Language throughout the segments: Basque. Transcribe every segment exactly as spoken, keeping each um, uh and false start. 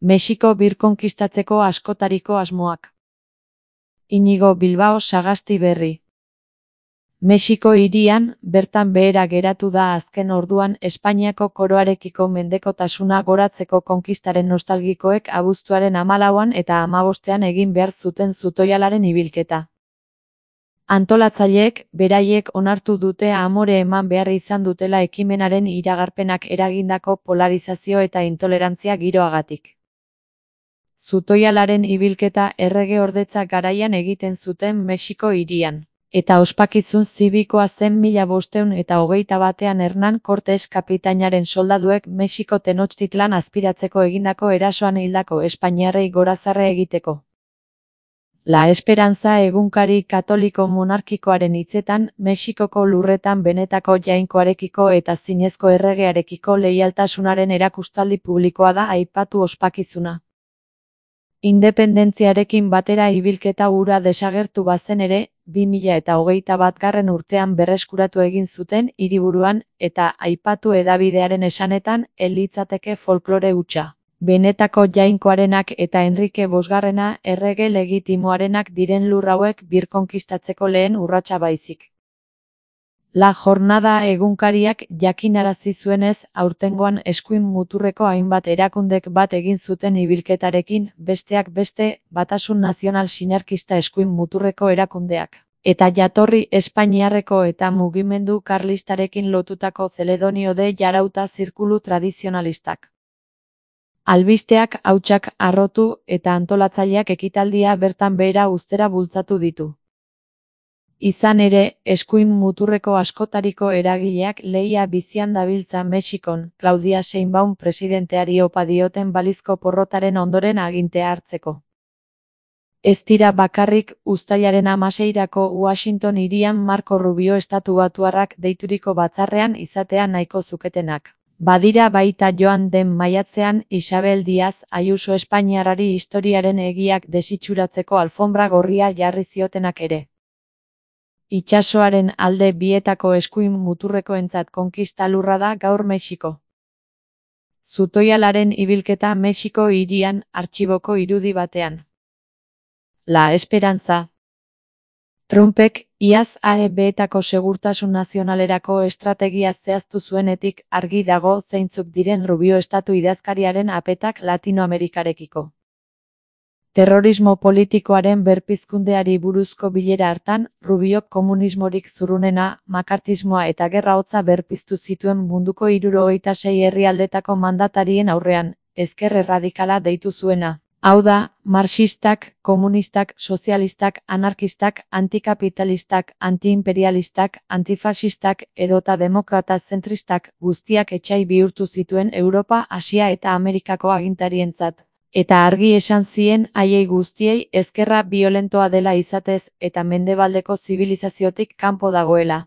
Mexiko birkonkistatzeko askotariko asmoak. Inigo Bilbao Sagasti Berri. Mexiko hirian, bertan behera geratu da azken orduan Espainiako koroarekiko mendekotasuna goratzeko konkistaren nostalgikoek abuztuaren hamalauan eta hamabostean egin behar zuten zutoialaren ibilketa. Antolatzaileek, beraiek onartu dute amore eman behar izan dutela ekimenaren iragarpenak eragindako polarizazio eta intolerantzia giroagatik. Zutoialaren ibilketa errege-ordetza garaian egiten zuten Mexiko hirian. Eta ospakizun zibikoa zen mila bostehun eta hogeita batean Hernán Cortés kapitainaren soldaduek Mexiko Tenochtitlan azpiratzeko egindako erasoan hildako espainiarrei gorazarre egiteko. La Esperanza egunkari katoliko monarkikoaren hitzetan, Mexikoko lurretan benetako jainkoarekiko eta zinezko erregearekiko leialtasunaren erakustaldi publikoa da aipatu ospakizuna. Independentziarekin batera ibilketa hura desagertu bazen ere, bi mila eta hogeita batgarren urtean berreskuratu egin zuten hiriburuan, eta aipatu hedabidearen esanetan, ez litzateke folklore hutsa. Benetako jainkoarenak eta Enrique bosgarrena errege legitimoarenak diren lur hauek birkonkistatzeko lehen urratsa baizik. La Jornada egunkariak jakinarazi zuenez, aurtengoan eskuin muturreko hainbat erakundek bat egin zuten ibilketarekin, besteak beste, Batasun Nazional Sinarkista eskuin muturreko erakundeak, eta jatorri espainiarreko eta mugimendu karlistarekin lotutako Celedonio de Jarauta zirkulu tradizionalistak. Albisteak, hautsak, harrotu eta antolatzaileak ekitaldia bertan behera uztera bultzatu ditu. Izan ere, eskuin muturreko askotariko eragileak lehia bizian dabiltza Mexikon, Claudia Sheinbaum presidenteari opa dioten balizko porrotaren ondoren agintea hartzeko. Ez dira bakarrik, uztailaren hamaseirako Washington hirian Marco Rubio estatubatuarrak deituriko batzarrean izatea nahiko zuketenak. Badira baita joan den maiatzean Isabel Díaz Ayuso espainiarrari historiaren egiak desitxuratzeko alfombra gorria jarri ziotenak ere. Itsasoaren alde bietako eskuin muturrekoentzat konkista lurra da gaur Mexiko. Zutoialaren ibilketa Mexiko hirian, artxiboko irudi batean. La Esperanza. Trumpek, iaz A E B-etako segurtasun nazionalerako estrategia zehaztu zuenetik argi dago zeintzuk diren Rubio estatu idazkariaren apetak Latinoamerikarekiko. Terrorismo politikoaren berpizkundeari buruzko bilera hartan, Rubiok komunismorik zurrunena, makartismoa eta gerra hotza berpiztu zituen munduko hirurogeita sei herrialdetako mandatarien aurrean, ezker erradikala deitu zuena. Hau da, marxistak, komunistak, sozialistak, anarkistak, antikapitalistak, antiimperialistak, antifaxistak edota demokrata zentristak guztiak etsai bihurtu zituen Europa, Asia eta Amerikako agintarientzat. Eta argi esan zien haiei guztiei ezkerra biolentoa dela izatez eta mendebaldeko zibilizaziotik kanpo dagoela.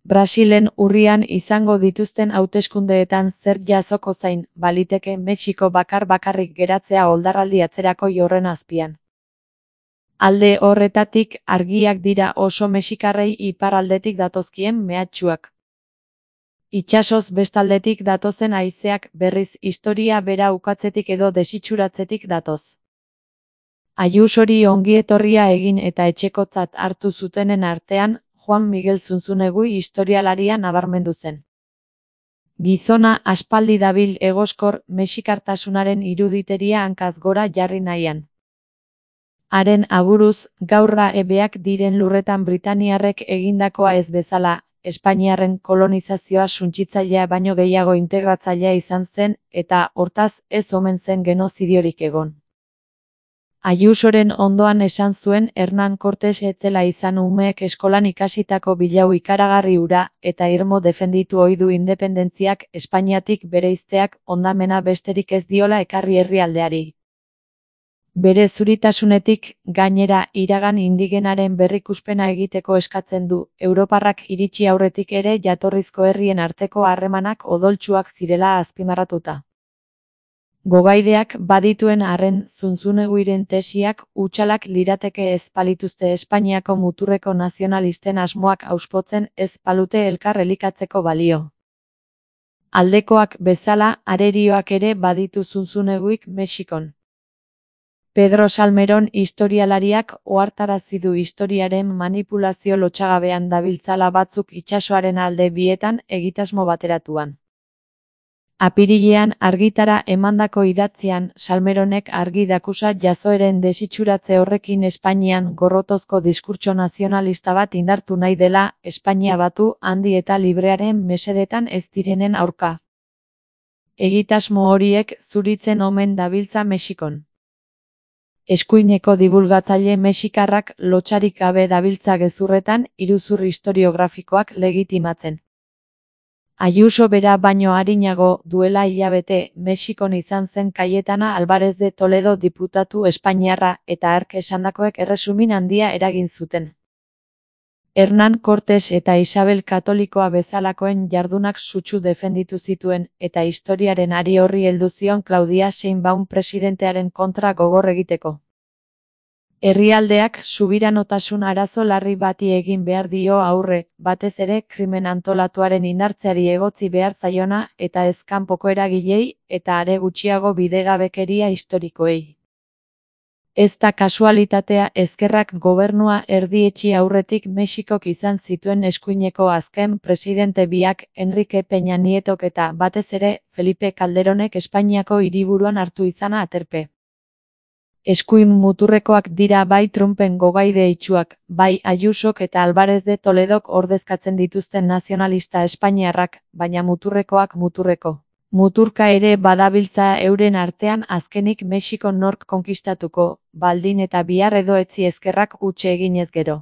Brasilen urrian izango dituzten hauteskundeetan zer jasoko zain, baliteke Mexiko bakar bakarrik geratzea oldarraldi atzerako horren azpian. Alde horretatik argiak dira oso mexikarrei iparraldetik datozkien mehatxuak. Itsasoz bestaldetik datozen haizeak berriz historia bera ukatzetik edo desitxuratzetik datoz. Ayusori ongietorria egin eta etxekotzat hartu zutenen artean, Juan Miguel Zunzunegui historialaria nabarmendu zen. Gizona aspaldi dabil egoskor mexikartasunaren iruditeria hankaz gora jarri nahian. Haren aburuz, gaurra ebeak diren lurretan Britaniarrek egindakoa ez bezala, Espainiarren kolonizazioa suntsitzailea baino gehiago integratzailea izan zen, eta, hortaz, ez omen zen genozidiorik egon. Ayusoren ondoan esan zuen Hernán Cortés etzela izan umeek eskolan ikasitako bilau ikaragarri hura, eta irmo defenditu ohi du independentziak Espainiatik bereizteak hondamena besterik ez diola ekarri herrialdeari. Bere zuritasunetik, gainera, iragan indigenaren berrikuspena egiteko eskatzen du, Europarrak iritsi aurretik ere jatorrizko herrien arteko harremanak odoltsuak zirela azpimarratuta. Gogaideak badituen arren Zunzuneguiren tesiak hutsalak lirateke ez palituzte Espainiako muturreko nazionalisten asmoak auspotzen ez palute elkar elikatzeko balio. Aldekoak bezala, arerioak ere baditu zunzuneguik Mexikon. Pedro Salmerón historialariak ohartarazi du historiaren manipulazio lotsagabean dabiltzala batzuk itsasoaren alde bietan egitasmo bateratuan. Apirilean argitara emandako idatzian, Salmeronek argi dakusa jazoeren desitxuratze horrekin Espainian gorrotozko diskurtso nazionalista bat indartu nahi dela, Espainia batu, handi eta librearen mesedetan ez direnen aurka. Egitasmo horiek zuritzen omen dabiltza Mexikon. Eskuineko dibulgatzaile mexikarrak lotsarik gabe dabiltza gezurretan iruzur historiografikoak legitimatzen. Ayuso bera baino arinago, duela hilabete, Mexikon izan zen Cayetana Álvarez de Toledo diputatu espainiarra eta hark esandakoek erresumin handia eragin zuten. Hernán Cortés eta Isabel Katolikoa bezalakoen jardunak sutsu defenditu zituen, eta historiaren ari horri heldu zion Claudia Sheinbaum presidentearen kontra gogor egiteko. Herrialdeak subiranotasun arazo larri bati egin behar dio aurre, batez ere krimen antolatuaren indartzeari egotzi behar zaiona eta ez kanpoko eragilei eta are gutxiago bidegabekeria historikoei. Ez da kasualitatea ezkerrak gobernua erdietsi aurretik Mexikok izan zituen eskuineko azken presidente biak Enrique Peña Nietok eta batez ere Felipe Calderonek Espainiako hiriburuan hartu izana aterpe. Eskuin muturrekoak dira bai Trumpen gogaide itsuak, bai Ayusok eta Álvarez de Toledok ordezkatzen dituzten nazionalista espainiarrak, baina muturrekoak muturreko. Muturka ere badabiltza euren artean azkenik Mexiko nork konkistatuko, baldin eta bihar edo etzi ezkerrak utxe eginez gero.